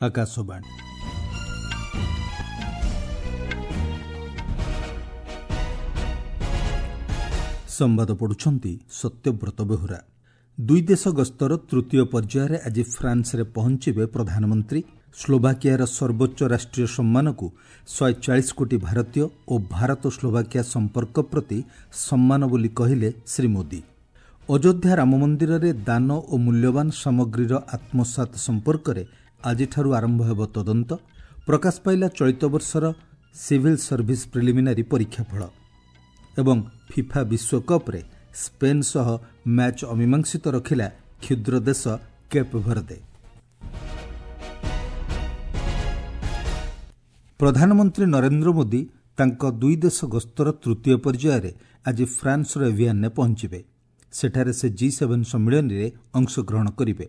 ଆକାଶବାଣୀ। ସମ୍ବାଦ ପଢ଼ୁଛନ୍ତି ସତ୍ୟବ୍ରତ ବେହୁରା। ଦୁଇ ଦେଶ ଗସ୍ତର ତୃତୀୟ ପର୍ଯ୍ୟାୟରେ ଆଜି ଫ୍ରାନ୍ସରେ ପହଞ୍ଚିବେ ପ୍ରଧାନମନ୍ତ୍ରୀ। ସ୍ଲୋଭାକିଆର ସର୍ବୋଚ୍ଚ ରାଷ୍ଟ୍ରୀୟ ସମ୍ମାନକୁ 140 କୋଟି ଭାରତୀୟ ଓ ଭାରତ ସ୍ଲୋଭାକିଆ ସମ୍ପର୍କ ପ୍ରତି ସମ୍ମାନ ବୋଲି କହିଲେ ଶ୍ରୀ ମୋଦି। ଅଯୋଧ୍ୟା ରାମମନ୍ଦିରରେ ଦାନ ଓ ମୂଲ୍ୟବାନ ସାମଗ୍ରୀର ଆତ୍ମସାତ୍ ସମ୍ପର୍କରେ ଆଜିଠାରୁ ଆରମ୍ଭ ହେବ ତଦନ୍ତ। ପ୍ରକାଶ ପାଇଲା ଚଳିତ ବର୍ଷର ସିଭିଲ୍ ସର୍ଭିସ୍ ପ୍ରିଲିମିନାରୀ ପରୀକ୍ଷାଫଳ। ଏବଂ ଫିଫା ବିଶ୍ୱକପ୍ରେ ସ୍ପେନ୍ ସହ ମ୍ୟାଚ୍ ଅମୀମାଂସିତ ରଖିଲା କ୍ଷୁଦ୍ର ଦେଶ କେପ୍ ଭର୍ଦେ। ପ୍ରଧାନମନ୍ତ୍ରୀ ନରେନ୍ଦ୍ର ମୋଦି ତାଙ୍କ ଦୁଇ ଦେଶ ଗସ୍ତର ତୃତୀୟ ପର୍ଯ୍ୟାୟରେ ଆଜି ଫ୍ରାନ୍ସର ଏଭିଆନ୍ରେ ପହଞ୍ଚିବେ। ସେଠାରେ ସେ ଜି7 ସମ୍ମିଳନୀରେ ଅଂଶଗ୍ରହଣ କରିବେ।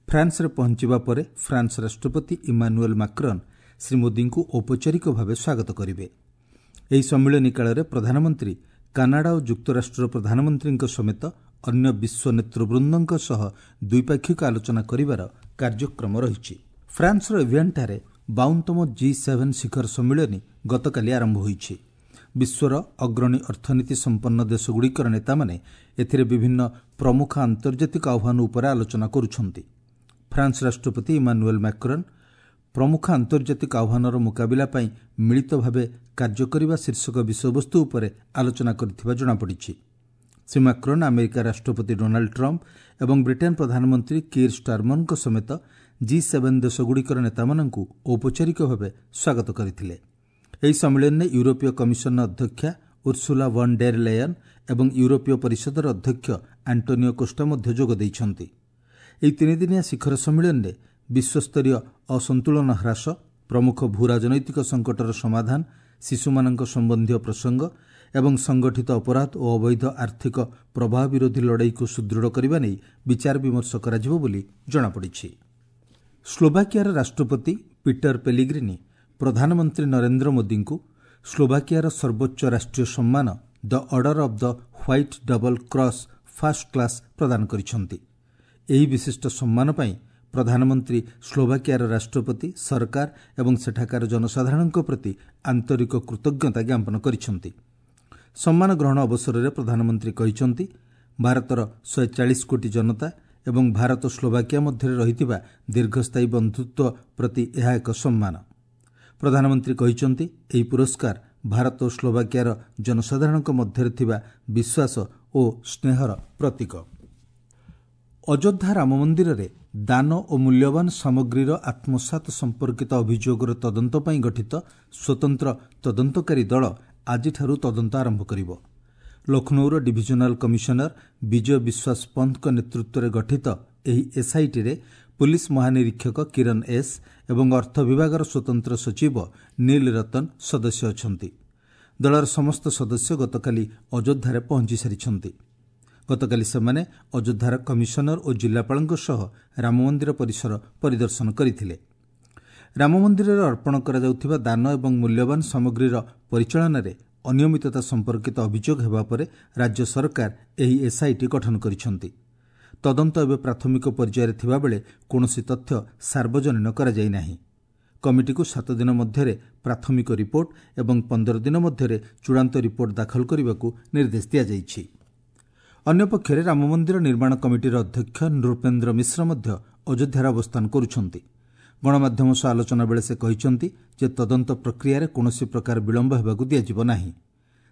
ଫ୍ରାନ୍ସରେ ପହଞ୍ଚିବା ପରେ ଫ୍ରାନ୍ସ ରାଷ୍ଟ୍ରପତି ଇମାନୁଏଲ୍ ମାକ୍ରନ୍ ଶ୍ରୀ ମୋଦିଙ୍କୁ ଔପଚାରିକ ଭାବେ ସ୍ୱାଗତ କରିବେ। ଏହି ସମ୍ମିଳନୀ କାଳରେ ପ୍ରଧାନମନ୍ତ୍ରୀ କାନାଡା ଓ ଯୁକ୍ତରାଷ୍ଟ୍ରର ପ୍ରଧାନମନ୍ତ୍ରୀଙ୍କ ସମେତ ଅନ୍ୟ ବିଶ୍ୱ ନେତୃବୃନ୍ଦଙ୍କ ସହ ଦ୍ୱିପାକ୍ଷିକ ଆଲୋଚନା କରିବାର କାର୍ଯ୍ୟକ୍ରମ ରହିଛି। ଫ୍ରାନ୍ସର ଏଭିଆନ୍ଠାରେ 52ତମ ଜି7 ଶିଖର ସମ୍ମିଳନୀ ଗତକାଲି ଆରମ୍ଭ ହୋଇଛି। ବିଶ୍ୱର ଅଗ୍ରଣୀ ଅର୍ଥନୀତି ସମ୍ପନ୍ନ ଦେଶଗୁଡ଼ିକର ନେତାମାନେ ଏଥିରେ ବିଭିନ୍ନ ପ୍ରମୁଖ ଆନ୍ତର୍ଜାତିକ ଆହ୍ୱାନ ଉପରେ ଆଲୋଚନା କରୁଛନ୍ତି। ଫ୍ରାନ୍ସ ରାଷ୍ଟ୍ରପତି ଇମାନୁଏଲ୍ ମାକ୍ରନ୍ ପ୍ରମୁଖ ଆନ୍ତର୍ଜାତିକ ଆହ୍ୱାନର ମୁକାବିଲା ପାଇଁ ମିଳିତ ଭାବେ କାର୍ଯ୍ୟ କରିବା ଶୀର୍ଷକ ବିଷୟବସ୍ତୁ ଉପରେ ଆଲୋଚନା କରିଥିବା ଜଣାପଡ଼ିଛି। ଶ୍ରୀ ମାକ୍ରନ୍ ଆମେରିକା ରାଷ୍ଟ୍ରପତି ଡୋନାଲ୍ଡ ଟ୍ରମ୍ପ ଏବଂ ବ୍ରିଟେନ୍ ପ୍ରଧାନମନ୍ତ୍ରୀ କିର୍ ଷ୍ଟାରମରଙ୍କ ସମେତ ଜି7 ଦେଶଗୁଡ଼ିକର ନେତାମାନଙ୍କୁ ଔପଚାରିକ ଭାବେ ସ୍ୱାଗତ କରିଥିଲେ। ଏହି ସମ୍ମିଳନୀରେ ୟୁରୋପୀୟ କମିଶନର ଅଧ୍ୟକ୍ଷା ଉର୍ସୁଲା ଭନ୍ ଡେର୍ ଲେୟନ୍ ଏବଂ ୟୁରୋପୀୟ ପରିଷଦର ଅଧ୍ୟକ୍ଷ ଆଣ୍ଟୋନିଓ କୋଷ୍ଟା ମଧ୍ୟ ଯୋଗ ଦେଇଛନ୍ତି। ଏହି ତିନିଦିନିଆ ଶିଖର ସମ୍ମିଳନୀରେ ବିଶ୍ୱସ୍ତରୀୟ ଅସନ୍ତୁଳନ ହ୍ରାସ, ପ୍ରମୁଖ ଭୂରାଜନୈତିକ ସଙ୍କଟର ସମାଧାନ, ଶିଶୁମାନଙ୍କ ସମ୍ବନ୍ଧୀୟ ପ୍ରସଙ୍ଗ ଏବଂ ସଂଗଠିତ ଅପରାଧ ଓ ଅବୈଧ ଆର୍ଥିକ ପ୍ରବାହ ବିରୋଧୀ ଲଢ଼େଇକୁ ସୁଦୃଢ଼ କରିବା ନେଇ ବିଚାର ବିମର୍ଶ କରାଯିବ ବୋଲି ଜଣାପଡ଼ିଛି। ସ୍ଲୋଭାକିଆର ରାଷ୍ଟ୍ରପତି ପିଟର ପେଲିଗ୍ରିନି ପ୍ରଧାନମନ୍ତ୍ରୀ ନରେନ୍ଦ୍ର ମୋଦିଙ୍କୁ ସ୍ଲୋଭାକିଆର ସର୍ବୋଚ୍ଚ ରାଷ୍ଟ୍ରୀୟ ସମ୍ମାନ the Order of the White Double Cross First Class ପ୍ରଦାନ କରିଛନ୍ତି। ଏହି ବିଶିଷ୍ଟ ସମ୍ମାନ ପାଇଁ ପ୍ରଧାନମନ୍ତ୍ରୀ ସ୍ଲୋଭାକିଆର ରାଷ୍ଟ୍ରପତି, ସରକାର ଏବଂ ସେଠାକାର ଜନସାଧାରଣଙ୍କ ପ୍ରତି ଆନ୍ତରିକ କୃତଜ୍ଞତା ଜ୍ଞାପନ କରିଛନ୍ତି। ସମ୍ମାନ ଗ୍ରହଣ ଅବସରରେ ପ୍ରଧାନମନ୍ତ୍ରୀ କହିଛନ୍ତି, ଭାରତର 140 କୋଟି ଜନତା ଏବଂ ଭାରତ ସ୍ଲୋଭାକିଆ ମଧ୍ୟରେ ରହିଥିବା ଦୀର୍ଘସ୍ଥାୟୀ ବନ୍ଧୁତ୍ୱ ପ୍ରତି ଏହା ଏକ ସମ୍ମାନ। ପ୍ରଧାନମନ୍ତ୍ରୀ କହିଛନ୍ତି, ଏହି ପୁରସ୍କାର ଭାରତ ଓ ସ୍ଲୋଭାକିଆର ଜନସାଧାରଣଙ୍କ ମଧ୍ୟରେ ଥିବା ବିଶ୍ୱାସ ଓ ସ୍ନେହର ପ୍ରତୀକ। ଅଯୋଧ୍ୟା ରାମମନ୍ଦିରରେ ଦାନ ଓ ମୂଲ୍ୟବାନ ସାମଗ୍ରୀର ଆତ୍ମସାତ୍ ସମ୍ପର୍କିତ ଅଭିଯୋଗର ତଦନ୍ତ ପାଇଁ ଗଠିତ ସ୍ୱତନ୍ତ୍ର ତଦନ୍ତକାରୀ ଦଳ ଆଜିଠାରୁ ତଦନ୍ତ ଆରମ୍ଭ କରିବ। ଲକ୍ଷ୍ନୌର ଡିଭିଜନାଲ କମିଶନର ବିଜୟ ବିଶ୍ୱାସ ପନ୍ତଙ୍କ ନେତୃତ୍ୱରେ ଗଠିତ ଏହି ଏସ୍ଆଇଟିରେ ପୁଲିସ୍ ମହାନିରୀକ୍ଷକ କିରଣ ଏସ୍ ଏବଂ ଅର୍ଥ ବିଭାଗର ସ୍ୱତନ୍ତ୍ର ସଚିବ ନୀଲ ରତନ ସଦସ୍ୟ ଅଛନ୍ତି। ଦଳର ସମସ୍ତ ସଦସ୍ୟ ଗତକାଲି ଅଯୋଧ୍ୟାରେ ପହଞ୍ଚି ସାରିଛନ୍ତି। ଗତକାଲି ସେମାନେ ଅଯୋଧ୍ୟାର କମିଶନର ଓ ଜିଲ୍ଲାପାଳଙ୍କ ସହ ରାମମନ୍ଦିର ପରିସର ପରିଦର୍ଶନ କରିଥିଲେ। ରାମମନ୍ଦିରରେ ଅର୍ପଣ କରାଯାଉଥିବା ଦାନ ଏବଂ ମୂଲ୍ୟବାନ ସାମଗ୍ରୀର ପରିଚାଳନାରେ ଅନିୟମିତତା ସମ୍ପର୍କିତ ଅଭିଯୋଗ ହେବା ପରେ ରାଜ୍ୟ ସରକାର ଏହି ଏସ୍ଆଇଟି ଗଠନ କରିଛନ୍ତି। ତଦନ୍ତ ଏବେ ପ୍ରାଥମିକ ପର୍ଯ୍ୟାୟରେ ଥିବାବେଳେ କୌଣସି ତଥ୍ୟ ସାର୍ବଜନୀନ କରାଯାଇ ନାହିଁ। କମିଟିକୁ 7 ଦିନ ମଧ୍ୟରେ ପ୍ରାଥମିକ ରିପୋର୍ଟ ଏବଂ 15 ଦିନ ମଧ୍ୟରେ ଚୂଡ଼ାନ୍ତ ରିପୋର୍ଟ ଦାଖଲ କରିବାକୁ ନିର୍ଦ୍ଦେଶ ଦିଆଯାଇଛି। ଅନ୍ୟପକ୍ଷରେ ରାମମନ୍ଦିର ନିର୍ମାଣ କମିଟିର ଅଧ୍ୟକ୍ଷ ନୃପେନ୍ଦ୍ର ମିଶ୍ର ମଧ୍ୟ ଅଯୋଧ୍ୟାରେ ଅବସ୍ଥାନ କରୁଛନ୍ତି। ଗଣମାଧ୍ୟମ ସହ ଆଲୋଚନା ବେଳେ ସେ କହିଛନ୍ତି ଯେ ତଦନ୍ତ ପ୍ରକ୍ରିୟାରେ କୌଣସି ପ୍ରକାର ବିଳମ୍ବ ହେବାକୁ ଦିଆଯିବ ନାହିଁ।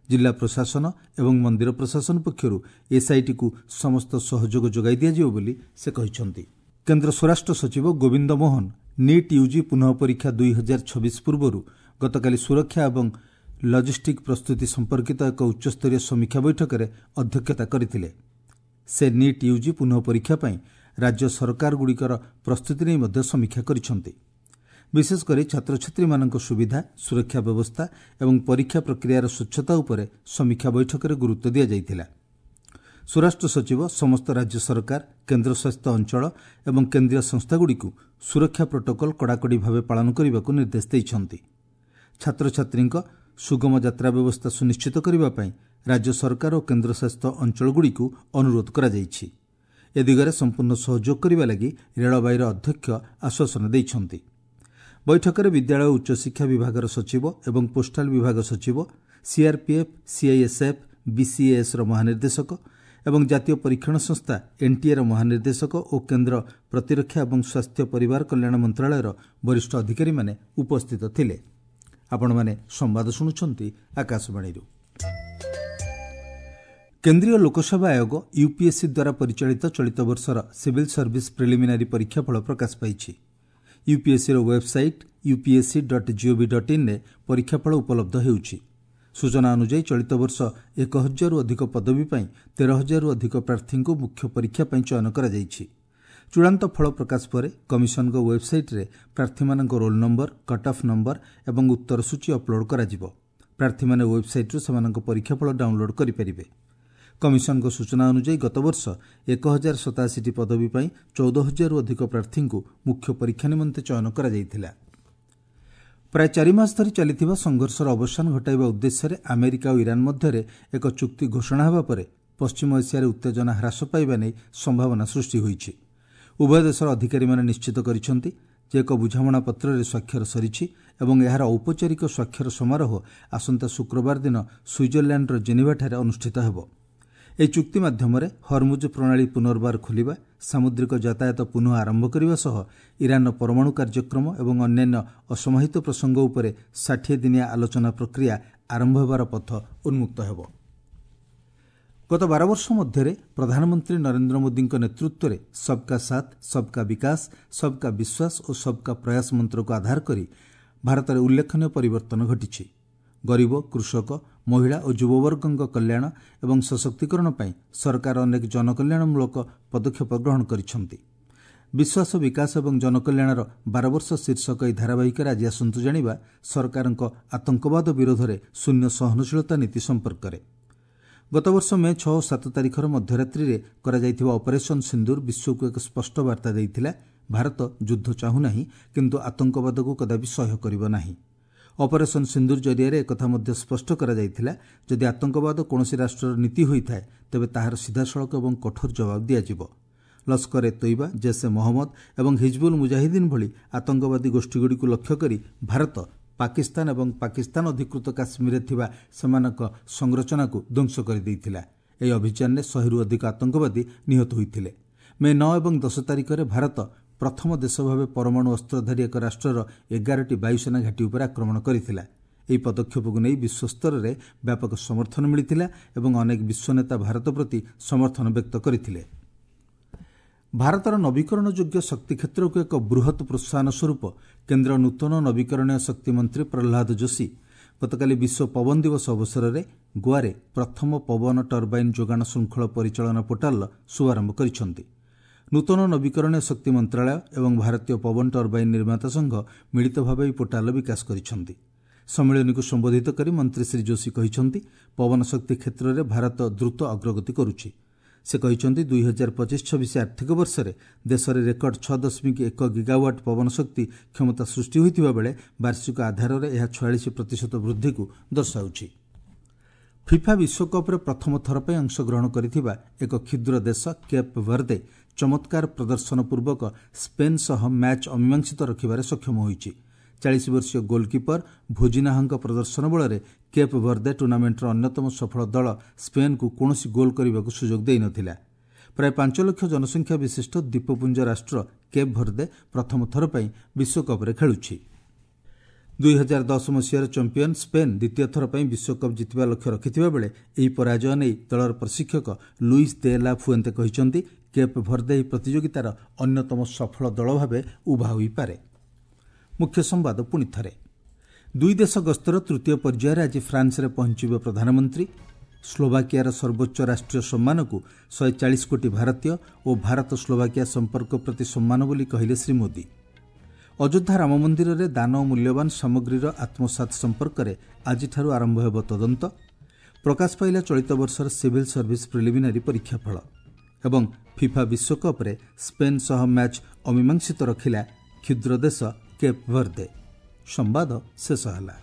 ଜିଲ୍ଲା ପ୍ରଶାସନ ଏବଂ ମନ୍ଦିର ପ୍ରଶାସନ ପକ୍ଷରୁ ଏସ୍ଆଇଟିକୁ ସମସ୍ତ ସହଯୋଗ ଯୋଗାଇ ଦିଆଯିବ ବୋଲି ସେ କହିଛନ୍ତି। କେନ୍ଦ୍ର ସ୍ୱରାଷ୍ଟ୍ର ସଚିବ ଗୋବିନ୍ଦ ମୋହନ ନିଟ୍ ୟୁଜି ପୁନଃ ପରୀକ୍ଷା 2026 ପୂର୍ବରୁ ଗତକାଲି ସୁରକ୍ଷା ଏବଂ ଲଜିଷ୍ଟିକ୍ ପ୍ରସ୍ତୁତି ସମ୍ପର୍କିତ ଏକ ଉଚ୍ଚସ୍ତରୀୟ ସମୀକ୍ଷା ବୈଠକରେ ଅଧ୍ୟକ୍ଷତା କରିଥିଲେ। ସେ ନିଟ୍ ୟୁଜି ପୁନଃ ପରୀକ୍ଷା ପାଇଁ ରାଜ୍ୟ ସରକାରଗୁଡ଼ିକର ପ୍ରସ୍ତୁତି ନେଇ ମଧ୍ୟ ସମୀକ୍ଷା କରିଛନ୍ତି। ବିଶେଷକରି ଛାତ୍ରଛାତ୍ରୀମାନଙ୍କ ସୁବିଧା, ସୁରକ୍ଷା ବ୍ୟବସ୍ଥା ଏବଂ ପରୀକ୍ଷା ପ୍ରକ୍ରିୟାର ସ୍ୱଚ୍ଛତା ଉପରେ ସମୀକ୍ଷା ବୈଠକରେ ଗୁରୁତ୍ୱ ଦିଆଯାଇଥିଲା। ସ୍ୱରାଷ୍ଟ୍ର ସଚିବ ସମସ୍ତ ରାଜ୍ୟ ସରକାର, କେନ୍ଦ୍ରଶାସିତ ଅଞ୍ଚଳ ଏବଂ କେନ୍ଦ୍ରୀୟ ସଂସ୍ଥାଗୁଡ଼ିକୁ ସୁରକ୍ଷା ପ୍ରୋଟୋକଲ୍ କଡ଼ାକଡ଼ି ଭାବେ ପାଳନ କରିବାକୁ ନିର୍ଦ୍ଦେଶ ଦେଇଛନ୍ତି। ଛାତ୍ରଛାତ୍ରୀଙ୍କ ସୁଗମ ଯାତ୍ରା ବ୍ୟବସ୍ଥା ସୁନିଶ୍ଚିତ କରିବା ପାଇଁ ରାଜ୍ୟ ସରକାର ଓ କେନ୍ଦ୍ରଶାସିତ ଅଞ୍ଚଳଗୁଡ଼ିକୁ ଅନୁରୋଧ କରାଯାଇଛି। ଏ ଦିଗରେ ସମ୍ପୂର୍ଣ୍ଣ ସହଯୋଗ କରିବା ଲାଗି ରେଳବାଇର ଅଧ୍ୟକ୍ଷ ଆଶ୍ୱାସନା ଦେଇଛନ୍ତି। ବୈଠକରେ ବିଦ୍ୟାଳୟ ଉଚ୍ଚଶିକ୍ଷା ବିଭାଗର ସଚିବ ଏବଂ ପୋଷ୍ଟାଲ ବିଭାଗ ସଚିବ, ସିଆର୍ପିଏଫ୍, ସିଆଇଏସ୍ଏଫ୍, ବିସିଏଏସ୍ର ମହାନିର୍ଦ୍ଦେଶକ ଏବଂ ଜାତୀୟ ପରୀକ୍ଷଣ ସଂସ୍ଥା ଏନ୍ଟିଏର ମହାନିର୍ଦ୍ଦେଶକ ଓ କେନ୍ଦ୍ର ପ୍ରତିରକ୍ଷା ଏବଂ ସ୍ୱାସ୍ଥ୍ୟ ପରିବାର କଲ୍ୟାଣ ମନ୍ତ୍ରଣାଳୟର ବରିଷ୍ଠ ଅଧିକାରୀମାନେ ଉପସ୍ଥିତ ଥିଲେ। ଆପଣମାନେ ସମ୍ବାଦ ଶୁଣୁଛନ୍ତି ଆକାଶବାଣୀରୁ। କେନ୍ଦ୍ରୀୟ ଲୋକସେବା ଆୟୋଗ ୟୁପିଏସ୍ସି ଦ୍ୱାରା ପରିଚାଳିତ ଚଳିତ ବର୍ଷର ସିଭିଲ୍ ସର୍ଭିସ୍ ପ୍ରିଲିମିନାରୀ ପରୀକ୍ଷାଫଳ ପ୍ରକାଶ ପାଇଛି। ୟୁପିଏସ୍ସିର ୱେବ୍ସାଇଟ୍ upsc.gov.inରେ ପରୀକ୍ଷାଫଳ ଉପଲବ୍ଧ ହେଉଛି। ସୂଚନା ଅନୁଯାୟୀ ଚଳିତ ବର୍ଷ 1000ରୁ ଅଧିକ ପଦବୀ ପାଇଁ 13,000ରୁ ଅଧିକ ପ୍ରାର୍ଥୀଙ୍କୁ ମୁଖ୍ୟ ପରୀକ୍ଷା ପାଇଁ ଚୟନ କରାଯାଇଛି। ଚୂଡ଼ାନ୍ତ ଫଳ ପ୍ରକାଶ ପରେ କମିଶନଙ୍କ ୱେବ୍ସାଇଟ୍ରେ ପ୍ରାର୍ଥୀମାନଙ୍କ ରୋଲ୍ ନମ୍ବର, କଟ୍ଅଫ୍ ନମ୍ବର ଏବଂ ଉତ୍ତର ସୂଚୀ ଅପଲୋଡ୍ କରାଯିବ। ପ୍ରାର୍ଥୀମାନେ ୱେବ୍ସାଇଟ୍ରୁ ସେମାନଙ୍କ ପରୀକ୍ଷାଫଳ ଡାଉନ୍ଲୋଡ୍ କରିପାରିବେ। କମିଶନଙ୍କ ସୂଚନା ଅନୁଯାୟୀ ଗତବର୍ଷ 1087ଟି ପଦବୀ ପାଇଁ 14,000ରୁ ଅଧିକ ପ୍ରାର୍ଥୀଙ୍କୁ ମୁଖ୍ୟ ପରୀକ୍ଷା ନିମନ୍ତେ ଚୟନ କରାଯାଇଥିଲା। ପ୍ରାୟ 4 ମାସ ଧରି ଚାଲିଥିବା ସଂଘର୍ଷର ଅବସାନ ଘଟାଇବା ଉଦ୍ଦେଶ୍ୟରେ ଆମେରିକା ଓ ଇରାନ୍ ମଧ୍ୟରେ ଏକ ଚୁକ୍ତି ଘୋଷଣା ହେବା ପରେ ପଶ୍ଚିମ ଏସିଆରେ ଉତ୍ତେଜନା ହ୍ରାସ ପାଇବା ନେଇ ସମ୍ଭାବନା ସୃଷ୍ଟି ହୋଇଛି। ଉଭୟ ଦେଶର ଅଧିକାରୀମାନେ ନିଶ୍ଚିତ କରିଛନ୍ତି ଯେ ଏକ ବୁଝାମଣାପତ୍ରରେ ସ୍ୱାକ୍ଷର ସରିଛି ଏବଂ ଏହାର ଔପଚାରିକ ସ୍ୱାକ୍ଷର ସମାରୋହ ଆସନ୍ତା ଶୁକ୍ରବାର ଦିନ ସୁଇଜରଲ୍ୟାଣ୍ଡର ଜେନିଭାଠାରେ ଅନୁଷ୍ଠିତ ହେବ। ଏହି ଚୁକ୍ତି ମାଧ୍ୟମରେ ହରମୁଜ ପ୍ରଣାଳୀ ପୁନର୍ବାର ଖୋଲିବା, ସାମୁଦ୍ରିକ ଯାତାୟାତ ପୁନଃ ଆରମ୍ଭ କରିବା ସହ ଇରାନ୍ର ପରମାଣୁ କାର୍ଯ୍ୟକ୍ରମ ଏବଂ ଅନ୍ୟାନ୍ୟ ଅସମାହିତ ପ୍ରସଙ୍ଗ ଉପରେ 60 ଦିନିଆ ଆଲୋଚନା ପ୍ରକ୍ରିୟା ଆରମ୍ଭ ହେବାର ପଥ ଉନ୍ମୁକ୍ତ ହେବ। ଗତ 12 ବର୍ଷ ମଧ୍ୟରେ ପ୍ରଧାନମନ୍ତ୍ରୀ ନରେନ୍ଦ୍ର ମୋଦିଙ୍କ ନେତୃତ୍ୱରେ ସବ୍କା ସାଥ୍, ସବ୍କା ବିକାଶ, ସବ୍କା ବିଶ୍ୱାସ ଓ ସବ୍କା ପ୍ରୟାସ ମନ୍ତ୍ରକୁ ଆଧାର କରି ଭାରତରେ ଉଲ୍ଲେଖନୀୟ ପରିବର୍ତ୍ତନ ଘଟିଛି। ଗରିବ, କୃଷକ, ମହିଳା ଓ ଯୁବବର୍ଗଙ୍କ କଲ୍ୟାଣ ଏବଂ ସଶକ୍ତିକରଣ ପାଇଁ ସରକାର ଅନେକ ଜନକଲ୍ୟାଣମୂଳକ ପଦକ୍ଷେପ ଗ୍ରହଣ କରିଛନ୍ତି। ବିଶ୍ୱାସ, ବିକାଶ ଏବଂ ଜନକଲ୍ୟାଣର 12 ବର୍ଷ ଶୀର୍ଷକ ଏହି ଧାରାବାହିକରେ ଆଜି ଆସନ୍ତୁ ଜାଣିବା ସରକାରଙ୍କ ଆତଙ୍କବାଦ ବିରୋଧରେ ଶୂନ୍ୟ ସହନଶୀଳତା ନୀତି ସମ୍ପର୍କରେ। ଗତବର୍ଷ ମେ 6 ଓ 7 ତାରିଖର ମଧ୍ୟରାତ୍ରିରେ କରାଯାଇଥିବା ଅପରେସନ୍ ସିନ୍ଦୁର ବିଶ୍ୱକୁ ଏକ ସ୍ପଷ୍ଟ ବାର୍ତ୍ତା ଦେଇଥିଲା, ଭାରତ ଯୁଦ୍ଧ ଚାହୁଁନାହିଁ, କିନ୍ତୁ ଆତଙ୍କବାଦକୁ କଦାପି ସହ୍ୟ କରିବ ନାହିଁ। ଅପରେସନ୍ ସିନ୍ଦୁର ଜରିଆରେ ଏକଥା ମଧ୍ୟ ସ୍ପଷ୍ଟ କରାଯାଇଥିଲା, ଯଦି ଆତଙ୍କବାଦ କୌଣସି ରାଷ୍ଟ୍ରର ନୀତି ହୋଇଥାଏ ତେବେ ତାହାର ସିଧାସଳଖ ଏବଂ କଠୋର ଜବାବ ଦିଆଯିବ। ଲସ୍କର ଏ ତୋଇବା, ଜୈସ୍ ଏ ମହମ୍ମଦ ଏବଂ ହିଜବୁଲ୍ ମୁଜାହିଦ୍ଦିନ୍ ଭଳି ଆତଙ୍କବାଦୀ ଗୋଷ୍ଠୀଗୁଡ଼ିକୁ ଲକ୍ଷ୍ୟ କରି ଭାରତ ପାକିସ୍ତାନ ଏବଂ ପାକିସ୍ତାନ ଅଧିକୃତ କାଶ୍ମୀରରେ ଥିବା ସେମାନଙ୍କ ସଂରଚନାକୁ ଧ୍ୱଂସ କରିଦେଇଥିଲା। ଏହି ଅଭିଯାନରେ 100ରୁ ଅଧିକ ଆତଙ୍କବାଦୀ ନିହତ ହୋଇଥିଲେ। ମେ 9 ଏବଂ 10 ତାରିଖରେ ଭାରତ ପ୍ରଥମ ଦେଶ ଭାବେ ପରମାଣୁ ଅସ୍ତ୍ରଧାରୀ ଏକ ରାଷ୍ଟ୍ରର 11ଟି ବାୟୁସେନା ଘାଟି ଉପରେ ଆକ୍ରମଣ କରିଥିଲା। ଏହି ପଦକ୍ଷେପକୁ ନେଇ ବିଶ୍ୱସ୍ତରରେ ବ୍ୟାପକ ସମର୍ଥନ ମିଳିଥିଲା ଏବଂ ଅନେକ ବିଶ୍ୱ ନେତା ଭାରତ ପ୍ରତି ସମର୍ଥନ ବ୍ୟକ୍ତ କରିଥିଲେ। ଭାରତର ନବୀକରଣ ଯୋଗ୍ୟ ଶକ୍ତି କ୍ଷେତ୍ରକୁ ଏକ ବୃହତ୍ ପ୍ରୋତ୍ସାହନ ସ୍ୱରୂପ କେନ୍ଦ୍ର ନୂତନ ନବୀକରଣୀୟ ଶକ୍ତି ମନ୍ତ୍ରୀ ପ୍ରହ୍ଲାଦ ଯୋଶୀ ଗତକାଲି ବିଶ୍ୱ ପବନ ଦିବସ ଅବସରରେ ଗୋଆରେ ପ୍ରଥମ ପବନ ଟର୍ବାଇନ୍ ଯୋଗାଣ ଶୃଙ୍ଖଳ ପରିଚାଳନା ପୋର୍ଟାଲର ଶୁଭାରମ୍ଭ କରିଛନ୍ତି। ନୂତନ ନବୀକରଣୀୟ ଶକ୍ତି ମନ୍ତ୍ରଣାଳୟ ଏବଂ ଭାରତୀୟ ପବନ ଟର୍ବାଇନ୍ ନିର୍ମାତା ସଂଘ ମିଳିତ ଭାବେ ଏହି ପୋର୍ଟାଲର ବିକାଶ କରିଛନ୍ତି। ସମ୍ମିଳନୀକୁ ସମ୍ବୋଧିତ କରି ମନ୍ତ୍ରୀ ଶ୍ରୀ ଯୋଶୀ କହିଛନ୍ତି, ପବନ ଶକ୍ତି କ୍ଷେତ୍ରରେ ଭାରତ ଦ୍ରୁତ ଅଗ୍ରଗତି କରୁଛି। ସେ କହିଛନ୍ତି, 2025-26 ଆର୍ଥିକ ବର୍ଷରେ ଦେଶରେ ରେକର୍ଡ 6.1 ଗିଗାୱାଟ୍ ପବନ ଶକ୍ତି କ୍ଷମତା ସୃଷ୍ଟି ହୋଇଥିବା ବେଳେ ବାର୍ଷିକ ଆଧାରରେ ଏହା 46% ବୃଦ୍ଧିକୁ ଦର୍ଶାଉଛି। ଫିଫା ବିଶ୍ୱକପ୍ରେ ପ୍ରଥମ ଥର ପାଇଁ ଅଂଶଗ୍ରହଣ କରିଥିବା ଏକ କ୍ଷୁଦ୍ର ଦେଶ କେପ୍ ଭର୍ଦେ ଚମତ୍କାର ପ୍ରଦର୍ଶନ ପୂର୍ବକ ସ୍ପେନ୍ ସହ ମ୍ୟାଚ୍ ଅମୀମାଂସିତ ରଖିବାରେ ସକ୍ଷମ ହୋଇଛି। 40 ବର୍ଷୀୟ ଗୋଲ୍କିପର ଭୋଜିନାହଙ୍କ ପ୍ରଦର୍ଶନ ବଳରେ କେପ୍ ଭର୍ଦେ ଟୁର୍ଣ୍ଣାମେଣ୍ଟର ଅନ୍ୟତମ ସଫଳ ଦଳ ସ୍ପେନ୍କୁ କୌଣସି ଗୋଲ୍ କରିବାକୁ ସୁଯୋଗ ଦେଇନଥିଲା। ପ୍ରାୟ 5 ଲକ୍ଷ ଜନସଂଖ୍ୟା ବିଶିଷ୍ଟ ଦ୍ୱୀପପୁଞ୍ଜ ରାଷ୍ଟ୍ର କେପ୍ ଭର୍ଦେ ପ୍ରଥମ ଥର ପାଇଁ ବିଶ୍ୱକପ୍ରେ ଖେଳୁଛି। 2010 ମସିହାର ଚାମ୍ପିୟନ୍ ସ୍ପେନ୍ ଦ୍ୱିତୀୟ ଥର ପାଇଁ ବିଶ୍ୱକପ୍ ଜିତିବା ଲକ୍ଷ୍ୟ ରଖିଥିବା ବେଳେ ଏହି ପରାଜୟ ନେଇ ଦଳର ପ୍ରଶିକ୍ଷକ ଲୁଇସ୍ ଦେ ଲା ଫୁଏନ୍ତେ କହିଛନ୍ତି, କେପ୍ ଭର୍ଦେ ଏହି ପ୍ରତିଯୋଗିତାର ଅନ୍ୟତମ ସଫଳ ଦଳ ଭାବେ ଉଭା ହୋଇପାରେ। ମୁଖ୍ୟ ସମ୍ବାଦ ପୁଣି ଥରେ। ଦୁଇ ଦେଶ ଗସ୍ତର ତୃତୀୟ ପର୍ଯ୍ୟାୟରେ ଆଜି ଫ୍ରାନ୍ସରେ ପହଞ୍ଚିବେ ପ୍ରଧାନମନ୍ତ୍ରୀ। ସ୍ଲୋଭାକିଆର ସର୍ବୋଚ୍ଚ ରାଷ୍ଟ୍ରୀୟ ସମ୍ମାନକୁ 140 କୋଟି ଭାରତୀୟ ଓ ଭାରତ ସ୍ଲୋଭାକିଆ ସମ୍ପର୍କ ପ୍ରତି ସମ୍ମାନ ବୋଲି କହିଲେ ଶ୍ରୀ ମୋଦି। ଅଯୋଧ୍ୟା ରାମ ମନ୍ଦିରରେ ଦାନ ଓ ମୂଲ୍ୟବାନ ସାମଗ୍ରୀର ଆତ୍ମସାତ୍ ସମ୍ପର୍କରେ ଆଜିଠାରୁ ଆରମ୍ଭ ହେବ ତଦନ୍ତ। ପ୍ରକାଶ ପାଇଲା ଚଳିତ ବର୍ଷର ସିଭିଲ୍ ସର୍ଭିସ୍ ପ୍ରିଲିମିନାରୀ ପରୀକ୍ଷାଫଳ। ଏବଂ ଫିଫା ବିଶ୍ୱକପ୍ରେ ସ୍ପେନ୍ ସହ ମ୍ୟାଚ୍ ଅମୀମାଂସିତ ରଖିଲା କ୍ଷୁଦ୍ର ଦେଶ କେପ୍ ଭର୍ଦେ। ସମ୍ବାଦ ଶେଷ ହେଲା।